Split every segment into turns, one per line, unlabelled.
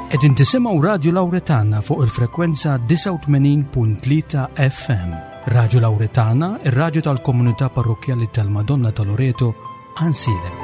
Qegħdin tisimgħu Radju Lawretana fuq il-frekwenza 89.3 FM. Radju Lawretana, ir-radju tal-komunità parrokkjali tal-Madonna ta' Loreto, Ansilem.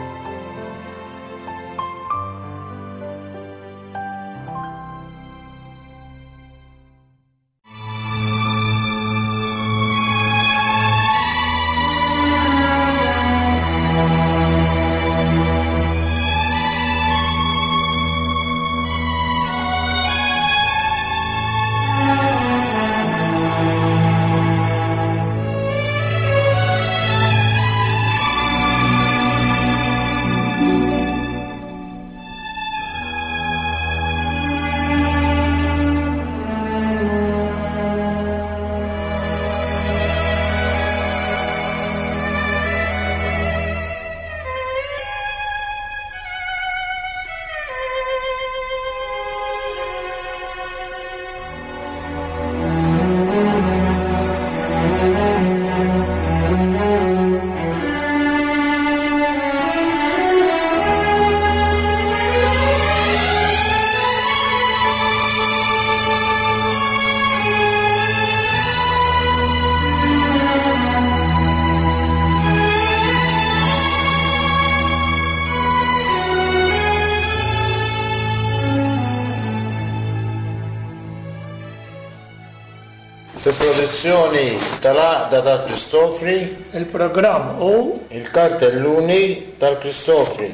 Fi produzzjoni tal-Għaqda tal-Kristofri.
Il-programm hu.
Il-Kartelluni tal-Kristofri.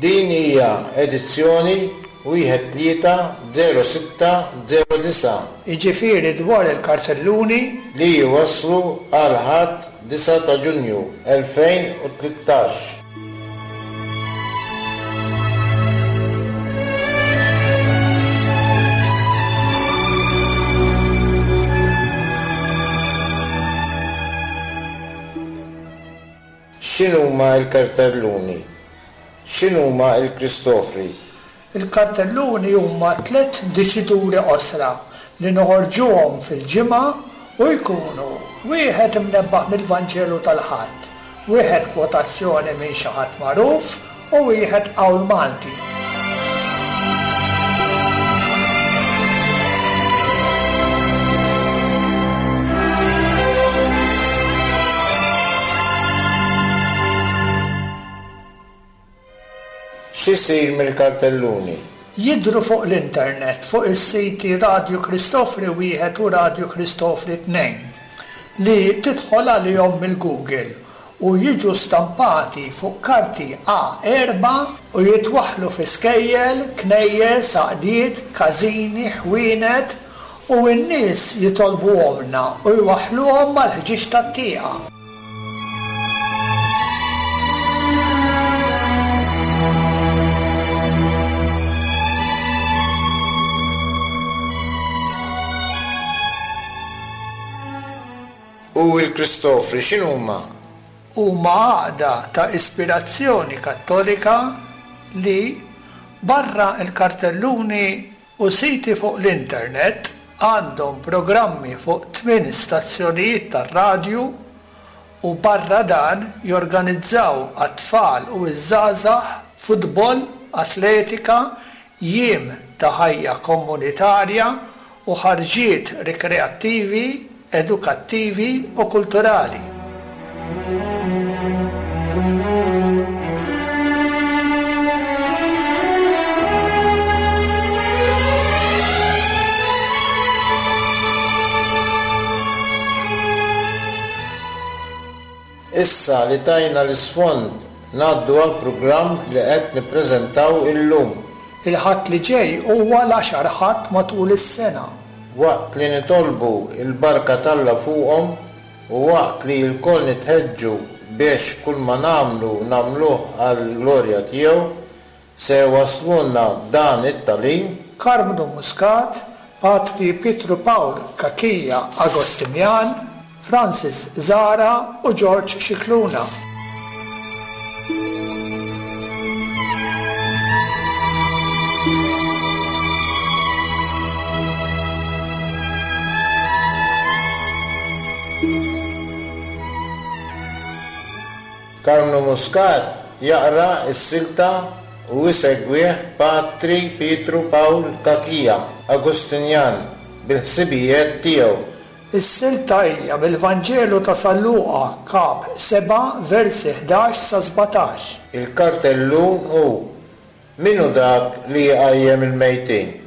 Din hija edizzjoni wieħed 3 06 09.
Jiġifieri dwar il-kartelluni.
Li jwasslu għal Ħadd 9 ta' Ġunju 2013. X'inhuma l-kartelluni? X'inhuma l-Kristofri?
Il-kartelluni huma tlett diċituri qosra li noħorġuhom fil-ġimgħa u jkunu wieħed imnebbaħ mill-Vanġelu tal-Ħadd, wieħed kwotazzjoni minn xi ħadd magħruf u wieħed qawl Malti.
X'isir mill-kartelluni?
Jidhru fuq l-internet fuq is-siti Radju Kristofri Wieħed u Radju Kristofri Tnejn, li tidħol għalihom mill-Google, u jiġu stampati fuq karti A4 u jitwaħħlu fi skejjel, knejjes, għaqdiet, każini, ħwienet, u n-nies jitolbuhomlna u jwaħħluhom mal-ħġieġ tat-tieqa.
U l-Kristofri x'inhuma?
Huma għaqda ta' ispirazzjoni Kattolika li, barra l-kartelluni u siti fuq l-internet, għandhom programmi fuq tmien stazzjonijiet tar-radju u barra dan jorganizzaw għat-tfal u ż-żgħażagħ futbol, atletika, jiem ta' ħajja komunitarja u ħarġiet rikreattivi, edukattivi u kulturali.
Issa li tajna l-isfond ngħaddu għall-programm li qed nippreżentaw illum.
Il-Ħadd li ġej huwa l-għaxar Ħadd matul is-sena.
Waqt li nitolbu l-barka t'Alla fuqhom u waqt li lkoll nitħeġġu biex kulma nagħmlu nagħmluh għall-glorja tiegħu, se jwasslulna dan it-tagħlim.
Karmnu Muscat, Patri Pietru Pawl Cachia Agostinjan, Francis Zahra u George Scicluna.
Karmnu Muscat jaqra s-silta u jsegwih Patri Pietru Pawl Cachia, Agustinjan, bil-ħsibijiet tiegħu.
Is-silta hija mill-Vanġelu ta' San Luqa, Kap. 7, versi 11 sa 17.
Il-kartellun hu, Min hu dak li jqajjem il-mejtin?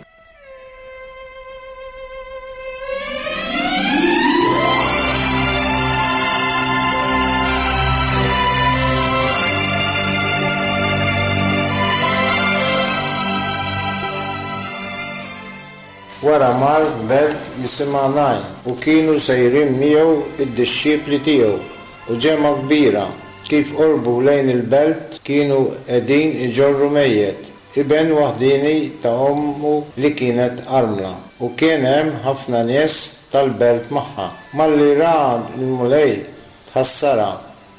Wara mar f'belt jisimha Najn, u kienu sejrin miegħu d-dixxipli tiegħu, u ġemgħa kbira. Kif qorbu lejn il-belt, kienu qegħdin iġorru mejjet, iben waħdieni ta' ommu li kienet armla, u kien hemm ħafna nies tal-belt magħha. Malli ra l-Mulej, tħassarha,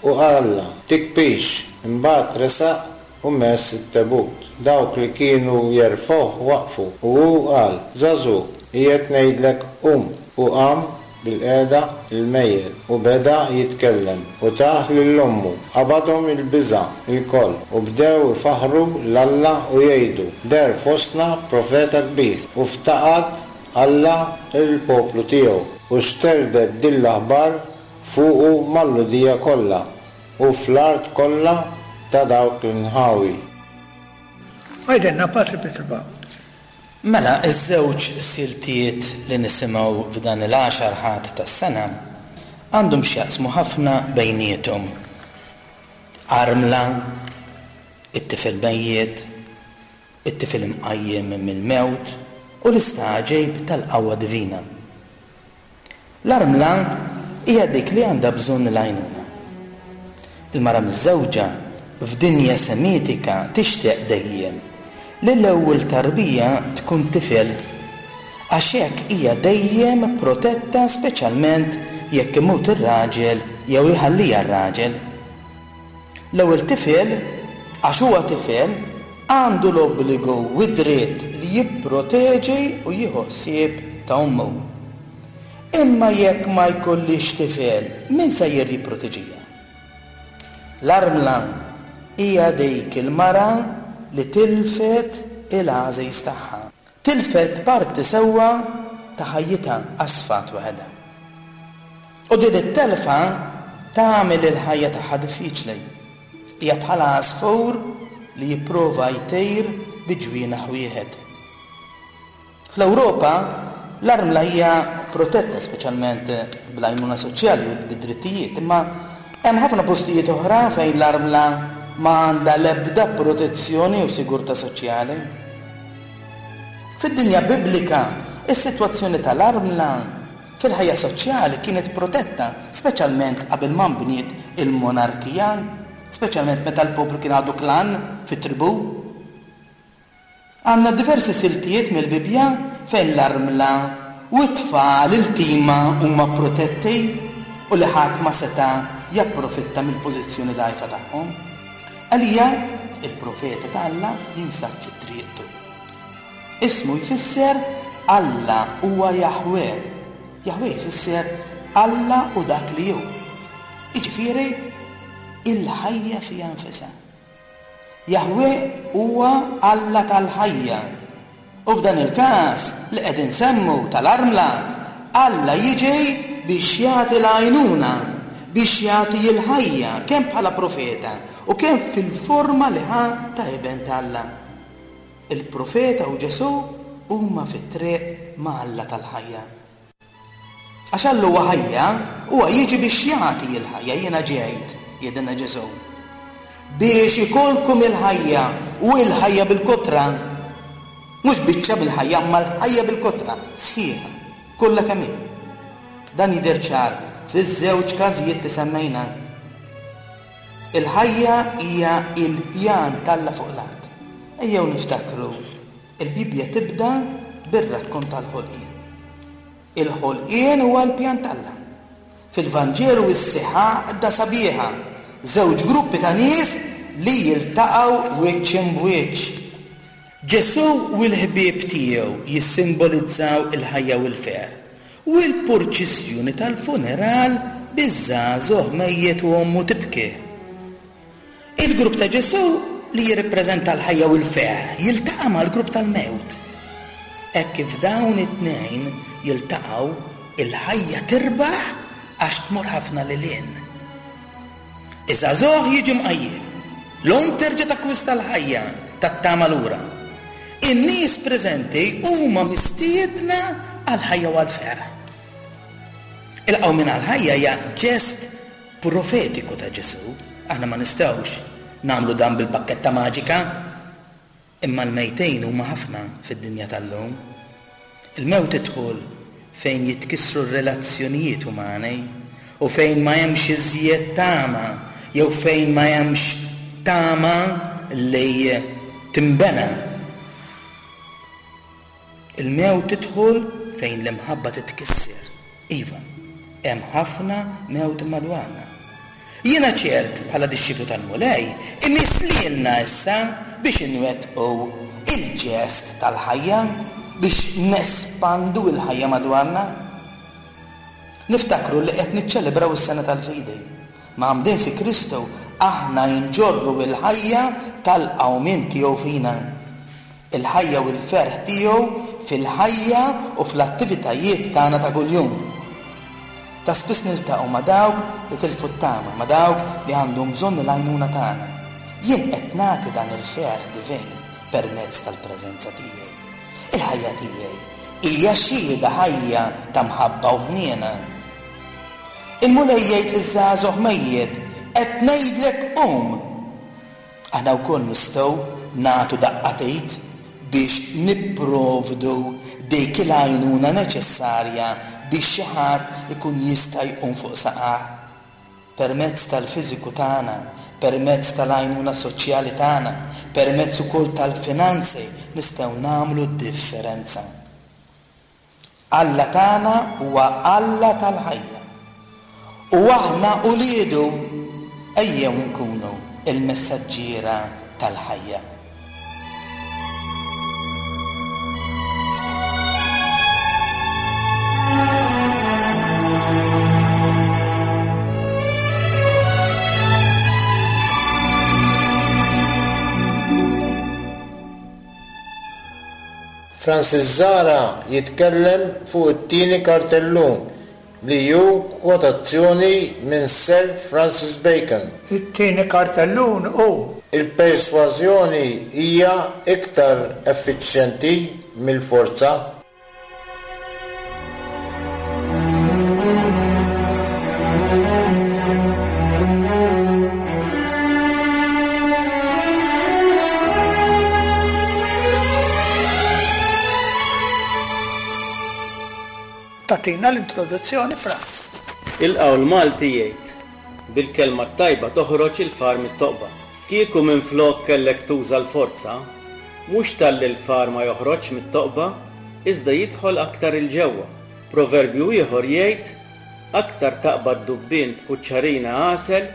u qalha, Tikbix. Imbagħad resaq u mess it-tebut. Dawk li kienu jerfgħuh waqfu, u hu qal, Żagħżugħ, qiegħed ngħidlek qum. U qam bilqiegħda l-mejjet, u beda jitkellem, u tah lil ommu. Qabadhom il-biża' lkoll, u bdew ifaħħru 'l Alla u jgħidu, Deher fostna profeta kbir, u ftaqad Alla l-poplu tiegħu. U xterdet din l-aħbar fuqu mal-Lhudija kollha. U fl-art kollha ta' dawk l-inħawi.
Għidilna, Patri Pietru Pawl.
Mela, iż-żewġ siltiet li nisimgħu f'dan il-għaxar Ħadd tas-sena għandhom x'jaqsmu ħafna bejniethom. Armla, it-tifel mejjet, it-tifel imqajjem mill-mewt u l-istagħġib tal-qawwa divina. L-armla hija dik li għandha bżonn l-għajnuna. Il-mara miżżewġa f'dinja Semitika tixtieq dejjem li l-ewwel tarbija tkun tifel għax hekk hija dejjem protetta speċjalment jekk imut ir-raġel jew iħalliha r-raġel. L-ewwel tifel, għax huwa tifel, għandu l-obbligu u d-dritt li jipproteġi u jieħu ħsieb ta' ommu. Imma jekk ma jkollhiex tifel, min sejjer jipproteġiha? L-armla hija dik il-mara li tilfet il-għażiż tagħha. Tilfet parti sewwa ta' ħajjitha għax sfat waħedha. U din it-telfa tagħmel il-ħajja tagħha diffiċli. Hija bħal għasfur li jipprova jtir bi ġwienaħ wieħed. Fl-Ewropa, l-armla hija protetta speċjalment bl-għajnuna soċjali u bid-drittijiet, imma hemm ħafna postijiet oħra fejn l-armla ma għandha l-ebda protezzjoni u sigurtà soċjali. Fid-dinja Biblika, is-sitwazzjoni tal-armla Fil-ħajja soċjali kienet protetta, speċjalment qabel ma nbniet il-monarkija, speċjalment meta l-poplu kien għadu klan fit-tribù. Għandna diversi siltiet mill-Bibbja fejn l-armla u t-tfal iltima huma protetti u li ħadd ma seta' japprofitta mill-pożizzjoni dgħajfa tagħhom. Elija, il-profeta ta' Alla, jinsab fi triqtu. Ismu jfisser Alla huwa Jaħwè. Jaħwè jfisser Alla hu dak li hu. Jiġifieri, il-ħajja fiha nfisha. Jaħwè huwa Alla tal-ħajja. U f'dan il-każ li qed insemmu tal-armla, Alla jiġi biex jagħti l-għajnuna, biex jagħti l-ħajja kemm bħala profeta u kemm fil-forma li ħa ta' Iben t'Alla. Il-profeta u Ġesù huma fit-triq ma' Alla tal-ħajja. Għax Alla huwa ħajja, huwa jiġi biex jagħti l-ħajja, Jiena ġejt, jgħidilna Ġesù, biex ikollkom il-ħajja u l-ħajja bil-kotra. Mhux biċċa mill-ħajja, imma l-ħajja bil-kotra, sħiħa, kollha kemm hi. Dan jidher ċar fiż-żewġ każijiet li semmejna. Il-ħajja hija l-pjan t'Alla fuq l-art. Ejjew niftakru, il-Bibbja tibda bir-rakkont tal-ħolqien. Il-ħolqien huwa l-pjan t'Alla. Fil-Vanġelu issieħ għaqda sabiħa, żewġ gruppi ta' nies li jiltaqgħu wiċċ imb'wiċċ. Ġesù u l-ħbieb tiegħu jissimbolizzaw il-ħajja u l-ferħ, U l-purċissjoni tal-funeral biż-żagħżugħ mejjet u ommu tibki. Il-grupp ta' Ġesù li jirrippreżenta l-ħajja u l-ferħ jiltaqa' mal-grupp tal-mewt. Hekk kif dawn it-tnejn jiltaqgħu, il-ħajja tirbaħ għax tmur ħafna lil hinn. Iż-żagħżugħ jiġi mqajjem. L-omm terġa' takkwista l-ħajja tat-tama lura. In-nies preżenti huma mistiedna għall-ħajja u għall-ferħ. Il-qawmien għall-ħajja hija ġest profetiku ta' Ġesù. Aħna ma nistgħux nagħmlu dan bil-bakketta maġika. Imma l-mejtin huma ħafna fid-dinja tal-lum. Il-mewt tidħol fejn jitkissru r-relazzjonijiet umani u fejn ma hemmx iżjed tama jew fejn ma hemmx tama li tinbena. Il-mewt tidħol fejn l-imħabba titkisser. Iva, hemm ħafna mewt madwarna. Jiena ċert, bħala dixxiplu tal-Mulej, imiss lilna issa biex inwettqu il-ġest tal-ħajja, biex nespandu l-ħajja madwarna. Niftakru li qed niċċelebraw is-Sena tal-Fidi. Mgħammdin fi Kristu, aħna nġorru l-ħajja tal-qawmien tiegħu fina. Il-ħajja u l-ferħ tiegħu fil-ħajja u fl-attivitajiet tagħna ta' kuljum. Ta' spiss niltaqgħu ma' dawk li tilfu t-tama, ma' dawk li għandhom bżonn il-għajnuna tagħna. Jien qed nagħti dan il-ferħ divin permezz tal-preżenza tiegħi. Il-ħajja tiegħi hija xhieda ħajja ta' mħabba u ħniena. Il-Mulej jgħid liż-żagħżugħ mejjet, Qed ngħidlek qum! Aħna wkoll nistgħu nagħtu daqqa t'id biex nipprovdu dik il-għajnuna neċessarja biex xi ħadd ikun jista' jqum fuq saqajh. Permezz tal-fiżiku tagħna, permezz tal-għajnuna soċjali tagħna, permezz ukoll tal-finanzi nistgħu nagħmlu d-differenza. Alla tagħna huwa Alla tal-ħajja. U aħna uliedu, ejjew inkunu l-messaġġiera tal-ħajja.
Francis Zahra jitkellem fuq it-tieni kartellun li hu kwotazzjoni minn Sir Francis Bacon.
It-tieni kartellun hu.
Il-persważjoni hija iktar effiċjenti mill-forza.
Tagħtina l-introduzzjoni Frans.
Il-qawl Malti jgħid, Bil-kelma t-tajba toħroġ il-far mit-toqba. Kieku minflok kellek tuża l-forza, mhux talli l-far ma joħroġx mit-toqba, iżda jidħol aktar 'il ġewwa. Proverbju ieħor jgħid, Aktar taqbad dubbien b'kuċċarina għasel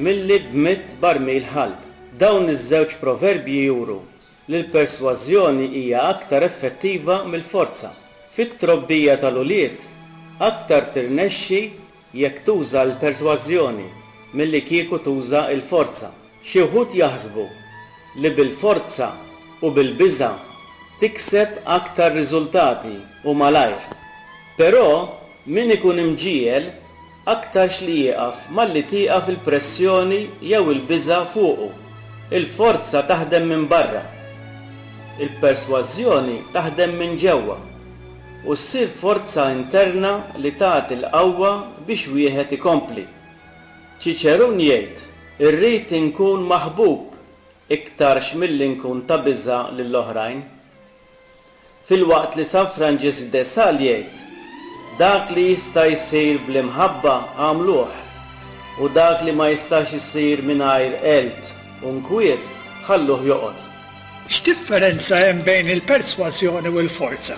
milli b'mitt barmil ħall. Dawn iż-żewġ proverbji juru li l-persważjoni hija aktar effettiva mill-forza. Fit-trobbija tal-ulied, aktar tirnexxi jekk tuża l-persważjoni milli kieku tuża l-forza. Xi wħud jaħsbu li bil-forza u bil-biża' tikseb aktar riżultati u malajr. Però min ikun imġiegħel aktarx li jieqaf malli tieqaf il-pressjoni jew il-biża' fuqu. Il-forza taħdem minn barra. Il-persważjoni taħdem minn ġewwa u ssir forza interna li tagħti l-qawwa biex wieħed ikompli. Ċiċerun jgħid, Irrid inkun maħbub iktarx milli nkun ta' biża' lill-oħrajn. Filwaqt li San Franġisk de Sales jgħid, Dak li jista' jsir bl-imħabba agħmluh, u dak li ma jistax isir mingħajr għelt u nkwiet ħalluh joqgħod.
X'differenza hemm bejn il-persważjoni u l-forza?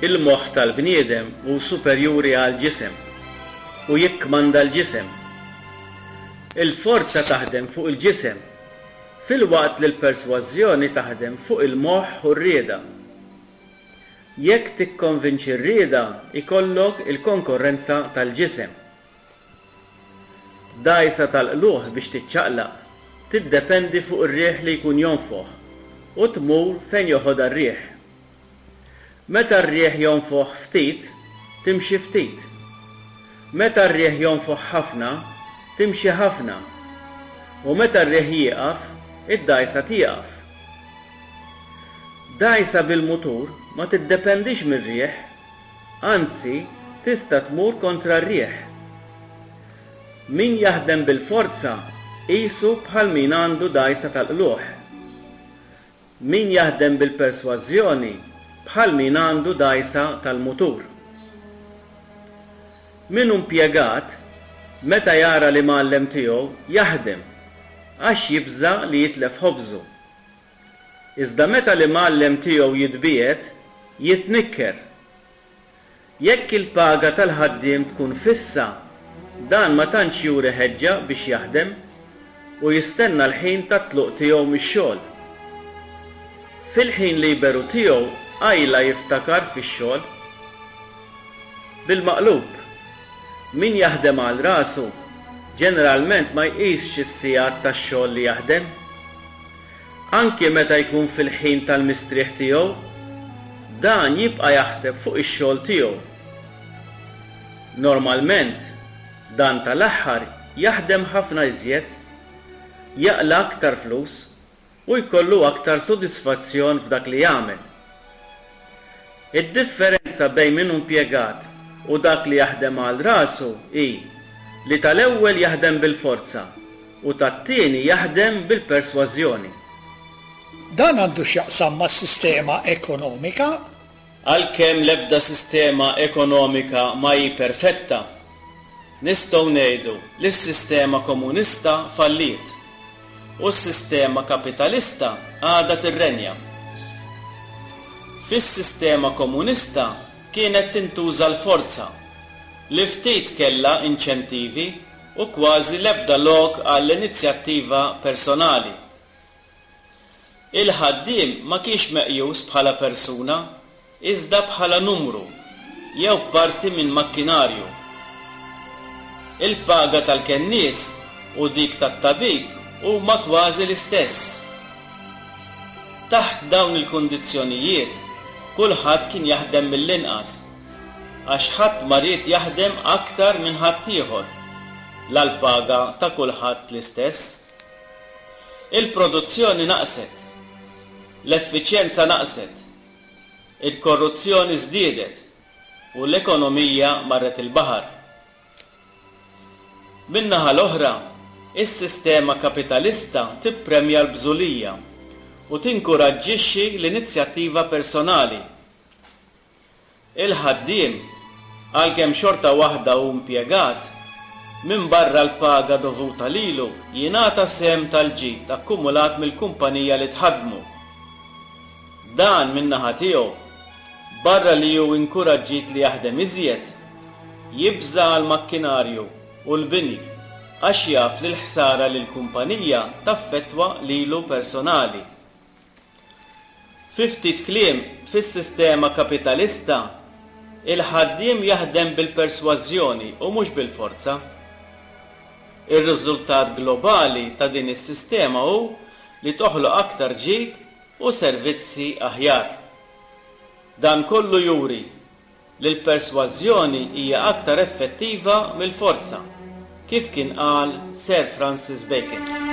Il-moħħ tal-bniedem hu superjuri għall-ġisem u jikkmanda l-ġisem. Il-forza taħdem fuq il-ġisem, filwaqt li l-persważjoni taħdem fuq il-moħħ u r-rieda. Jekk tikkonvinċi r-rieda jkollok il-konkorrenza tal-ġisem. Dgħajsa tal-qlugħ biex tiċċaqlaq. tiddependi fuq ir-riħ li jkun jonfoħ u tmur fejn joħodha r-riħ. Meta r-riħ jonfoħ ftit, timxi ftit. Meta r-riħ jonfoħ ħafna, timxi ħafna. U meta r-riħ jieqaf, id-dgħajsa tieqaf. Dgħajsa bil-mutur ma tiddependix mir-riħ, anzi tista' tmur kontra r-riħ. Min jaħdem bil-forza qisu bħal min għandu dgħajsa tal-qlugħ. Min jaħdem bil-persważjoni bħal min għandu dgħajsa tal-mutur. Min hu mpjegat, meta jara l-imgħallem tiegħu jaħdem għax jibża' li jitlef ħobżu. Iżda meta l-imgħallem tiegħu jitbiegħed, jitnikker. Jekk il-paga tal-ħaddiem tkun fissa, dan ma tantx juri ħeġġa biex jaħdem u jistenna l-ħin tat-tluq tiegħu mix-xogħol. Fil-ħin liberu tiegħu qajla jiftakar fix-xogħol. Bil-maqlub, min jaħdem għal rasu ġeneralment ma jqisx is-sigħat tax-xogħol li jaħdem. Anki meta jkun fil-ħin tal-mistrieħ tiegħu, dan jibqa' jaħseb fuq ix-xogħol tiegħu. Normalment, dan tal-aħħar jaħdem ħafna iżjed, jaqla' aktar flus u jkollu aktar sodisfazzjon f'dak li jagħmel. Id-differenza bejn min hu impjegat u dak li jaħdem għal rasu hi li tal-ewwel jaħdem bil-forza u tat-tieni jaħdem bil-persważjoni.
Dan għandu x'jaqsam mas-sistema ekonomika.
Għalkemm l-ebda sistema ekonomika ma hi perfetta, nistgħu ngħidu li s-sistema komunista falliet u s-sistema kapitalista għadha tirrenja. Fis-sistema komunista kienet tintuża l-forza, li ftit kellha inċentivi u kważi l-ebda lok għall-inizjattiva personali. Il-ħaddiem ma kienx meqjus bħala persuna iżda bħala numru jew parti minn makkinarju. Il-paga tal-kennies u dik tat-tabib huma kważi l-istess. Taħt dawn il-kundizzjonijiet kulħadd kien jaħdem mill-inqas għax ħadd ma ried jaħdem aktar minn ħaddieħor, la l-paga ta' kulħadd l-istess. Il-produzzjoni naqset. L-effiċjenza naqset. Il-korruzzjoni żdiedet u l-ekonomija marret il-baħar. Min-naħa l-oħra, is-sistema kapitalista tippremja l-bżulija u tinkuraġġixxi l-inizjattiva personali. Il-ħaddiem, għalkemm xorta waħda hu impjegat, minbarra l-paga dovuta lilu jingħata sehem tal-ġid akkumulat mill-kumpanija li tħaddmu. Dan, min-naħa tiegħu, barra li hu inkuraġġit li jaħdem iżjed, jibża' għall-makkinarju u l-bini għax jaf li l-ħsara lill-kumpanija taffettwa lilu personali. Fi ftit kliem, fis-sistema kapitalista, il-ħaddiem jaħdem bil-persważjoni u mhux bil-forza. Ir-riżultat globali ta' din is-sistema hu li toħloq aktar ġid u servizzi aħjar. Dan kollu juri li l-persważjoni hija aktar effettiva mill-forza, kif kien qal Sir Francis Bacon.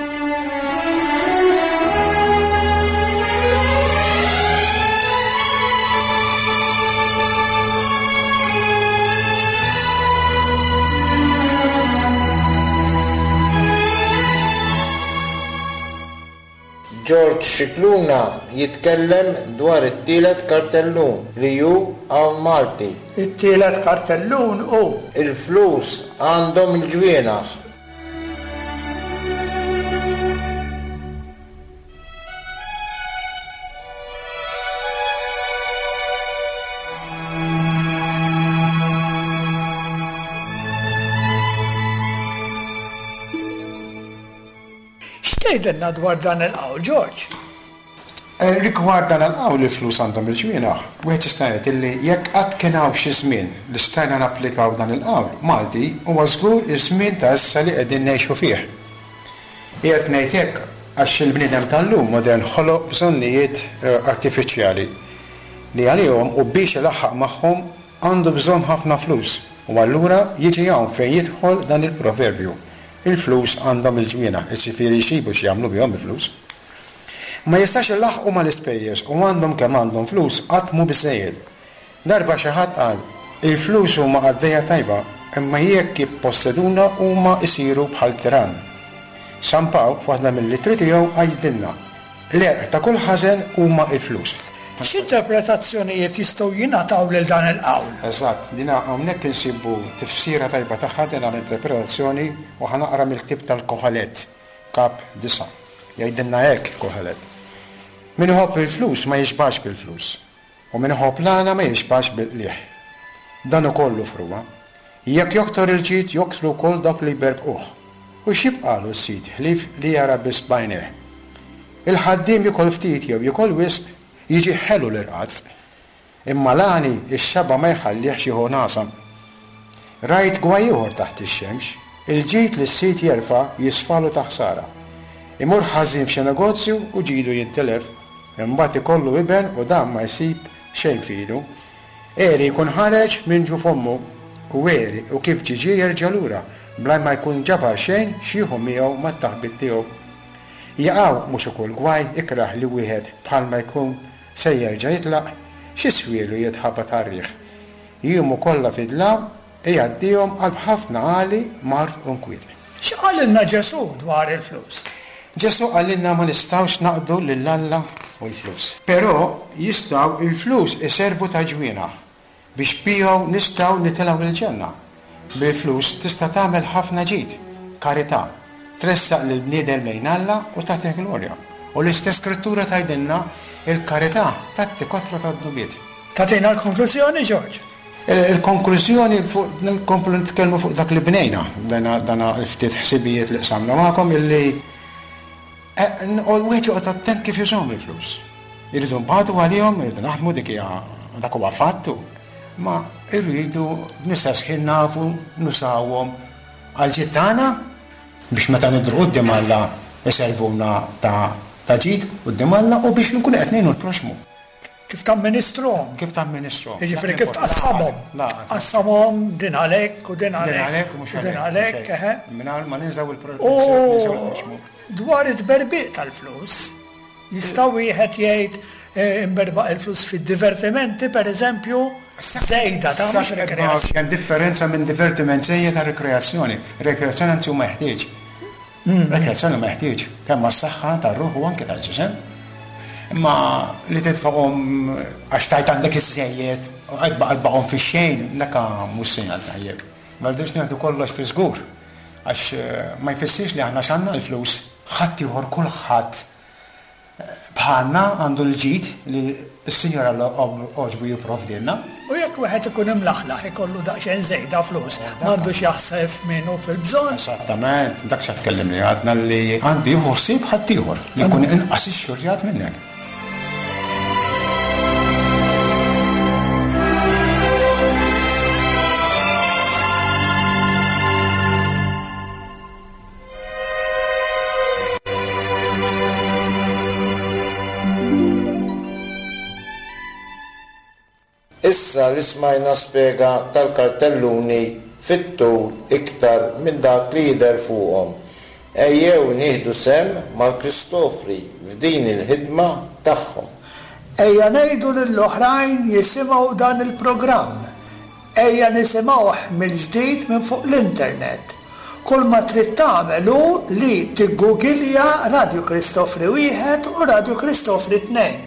George Scicluna jitkellem dwar it-tielet kartellun li hu hawn Malti.
It-tielet kartellun hu.
Il-flus għandhom il-ġwienaħ.
X'tgħidilna dwar dan il-qawl, George?
Rigward dan il-qawl il-flus għandhom il-ġwienaħ, wieħed jista' jgħid illi jekk qatt kien hawn xi żmien li stajna napplikaw dan il-qawl Malti huwa żgur iż-żmien ta' issa li qegħdin ngħixu fih. Qiegħed ngħid hekk għax il-bniedem tal-lum modern ħoloq bżonnijiet artifiċjali li għalihom u biex ilaħħaq magħhom għandu bżonn ħafna flus u allura jiġi hawn fejn jidħol dan il-proverbju, il-flus għandhom il-ġwienaħ, jiġifieri jsibu x'jagħmlu bihom il-flus. Ma jistax ilaħħqu mal-ispejjeż u għandhom kemm għandhom flus qatt mhu biżżejjed. Darba xi ħadd qal, Il-flus huma qaddejja tajba, imma jekk jipposseduna huma jsiru bħal tirann. San Pawl f'waħda mill-ittri tiegħu għidilna, L-għerq ta' kull ħażen huma l-flus.
X'interpretazzjonijiet jistgħu jingħataw lil dan il-qawl?
Eżatt, din hawnhekk insibu tifsira tajba tagħha din l-interpretazzjoni u ħa naqra mill-ktieb tal-Koħelet, Kap. 9. Jgħidilna hekk Koħelet, Min iħobb il-flus ma jixbax bil-flus. U min iħobb l-għana ma jixbax bil-qligħ. Dan ukoll hu frugħa. Jekk joktor il-ġid joktru wkoll dawk li jberbquh. U x'jibqagħlu s-sid ħlief li jara biss b'għajnejh? Il-ħaddiem jiekol ftit jew jiekol wisq, jiġih ħelu l-irqad. Imma l-għani x-xaba' ma jħallihx jieħu nagħsa. Rajt gwaj ieħor taħt ix-xemx, il-ġid li s-sid jerfa' jisfalu ta' ħsara. Imur ħażin f'xi negozju u ġidu jintilef. Imbagħad ikollu iben u dan ma jsib xejn f'idu. Għeri jkun ħareġ minn ġuf ommu, u għeri u kif ġie ġie jerġa' lura, bla ma jkun ġabar xejn x'jieħu miegħu mat-taħbit tiegħu. Jaqaw mhux ukoll gwaj ikrah li wieħed bħalma jkun se jerġa' jitlaq? X'iswielu jitħabat għar-riħ? Jiemu kollha fid-dlam Igħaddihom qalb ħafna għali, mard u nkwiet.
X'qalilna Ġesù dwar il-flus?
Ġesù qalilna ma nistgħux naqdu lil Alla u l-flus. Però jistgħu il-flus iservu ta' ġwienaħ biex bihom nistgħu nitilgħu l-ġenna. Bil-flus tista' tagħmel ħafna ġid, karità, tressaq lill-bniedem lejn Alla u tagħtih glorja. U l-istess Skrittura tgħidilna il-karità tgħatti kotra ta' dnubiet.
Tagħtina l-konklużjoni, George?
Il-konklużjoni fuq nkomplu nitkellmu fuq dak li bnejna, dan il-ftit ħsibijiet li qsamna magħkom illi wieħed joqgħod attent kif jużahom il-flus. Irridu nbatu għalihom, irridu naħdmu dik hija dak huwa fatt, ma irridu b'nistess ħin nafu nużawhom għall-ġid tagħna biex meta nidhru quddiem Alla jservuna ta' ġid quddiem Alla u biex nkunu qed ngħinu l-proxxmu.
Kif tamministrhom.
Kif tamministrhom.
Jiġifieri kif tqassamhom. Tqassamhom din għalhekk u din għalhekk.
Din għalhekk u mhux
għalhekk. Din għalhekk, eħe.
Mingħajr ma ninżgħu l-proxxmu.
U dwar it-tberbiq tal-flus, jista' wieħed jgħid inberbaq il-flus fid-divertimenti, pereżempju, żejda ta' mhux rikreazzjoni.
Hemm differenza minn divertiment żejjed għal rikreazzjoni. Rikreazzjoni anzi hu meħtieġ. Rekreazzjoni meħtieġ kemm għas-saħħa tar-ruħ u anke tal-ġisem. Imma li titfagħhom għax tgħid għandek iżżejjed u qed tbaqbaqhom fix-xejn, dak mhux sinjal tajjeb. Ma rridux nieħdu kollox fi żgur għax ma jfissirx li aħna għax għandna l-flus ħaddieħor kulħadd Bħalna għandu l-ġid li s-Sinjur Alla għoġbu jipprovdilna.
U jekk wieħed ikun imlaħlaħ ikollu daqsxejn żejda flus, m'għandux jaħseb f'min hu fil-bżonn.
Eżattament, dak x'qed tkellimni għadna li għandu jieħu ħsieb ħaddieħor li jkun inqas ixxurtjat minnek.
Issa li smajna spjega tal-kartelluni fit-tul iktar minn dak li jidher fuqhom, ejjew nieħdu sehem mal-Kristofri f'din il-ħidma tagħhom.
Ejja ngħidu lill-oħrajn jisimgħu dan il-programm. Ejja nisimgħuh mill-ġdid minn fuq l-internet. Kulma trid tagħmel hu li tiggugilja Radju Kristofri Wieħed u Radju Kristofri Tnejn.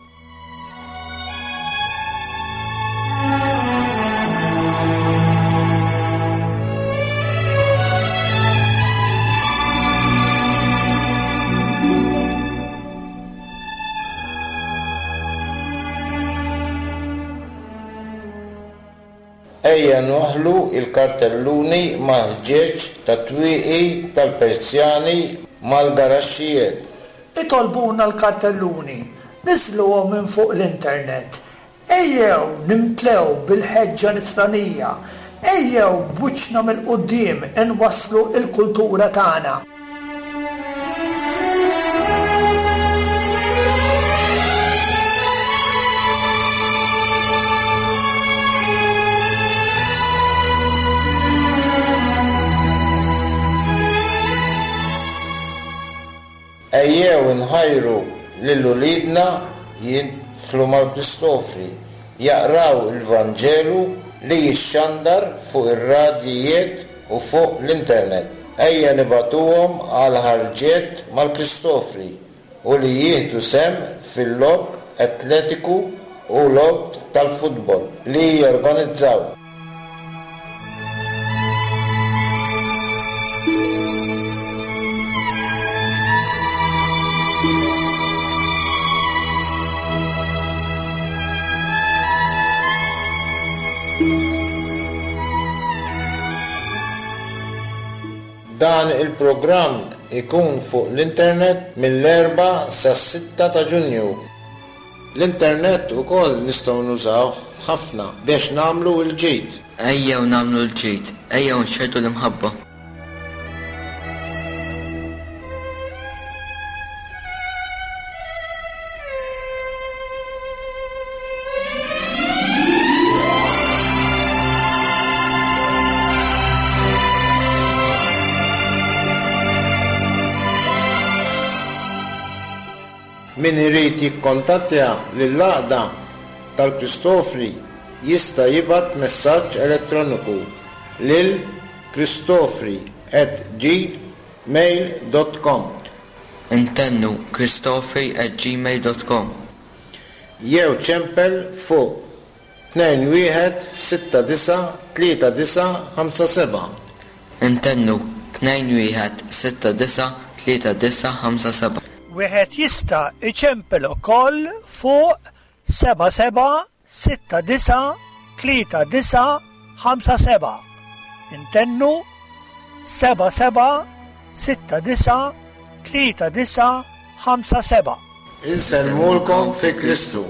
Ejja nwaħħlu l-kartelluni mal-ħġieġ tat-twieqi tal-persjani mal-garaxxijiet.
Itolbuna l-kartelluni, niżżluhom minn fuq l-internet. Ejjew nimtlew bil-ħeġġa nisranija. Ejjew b'wiċċna mill-quddiem inwasslu l-kultura tagħna.
Ejjew inħajru lil uliedna jidħlu mal-Kristofri, jaqraw il-Vanġelu li jixxandar fuq ir-radjijiet u fuq l-internet. Ejja nibagħtuhom għal ħarġiet mal-Kristofri u li jieħdu sehem fil-logħob atletiku u logħob tal-futbol li jorganizzaw. Dan il-programm ikun fuq l-internet mill-Erbgħa sas-Sitta ta' Ġunju. L-internet ukoll nistgħu nużawh ħafna biex nagħmlu l-ġid.
Ejjew nagħmlu l-ġid, ejjew nxerrdu l-imħabba.
Min irid jikkontattja lill-Għaqda tal-Kristofri jista' jibgħat messaġġ elettroniku lil kristofri@gmail.com.
Intennu, kristofri@gmail.com.
Jew ċempel fuq 2169 3957.
Intennu, 2169 3957.
Wieħed jista' jċempel ukoll fuq 77 69 39 57. Intennu, 77 69 39 57.
Insellmulkom fi Kristu.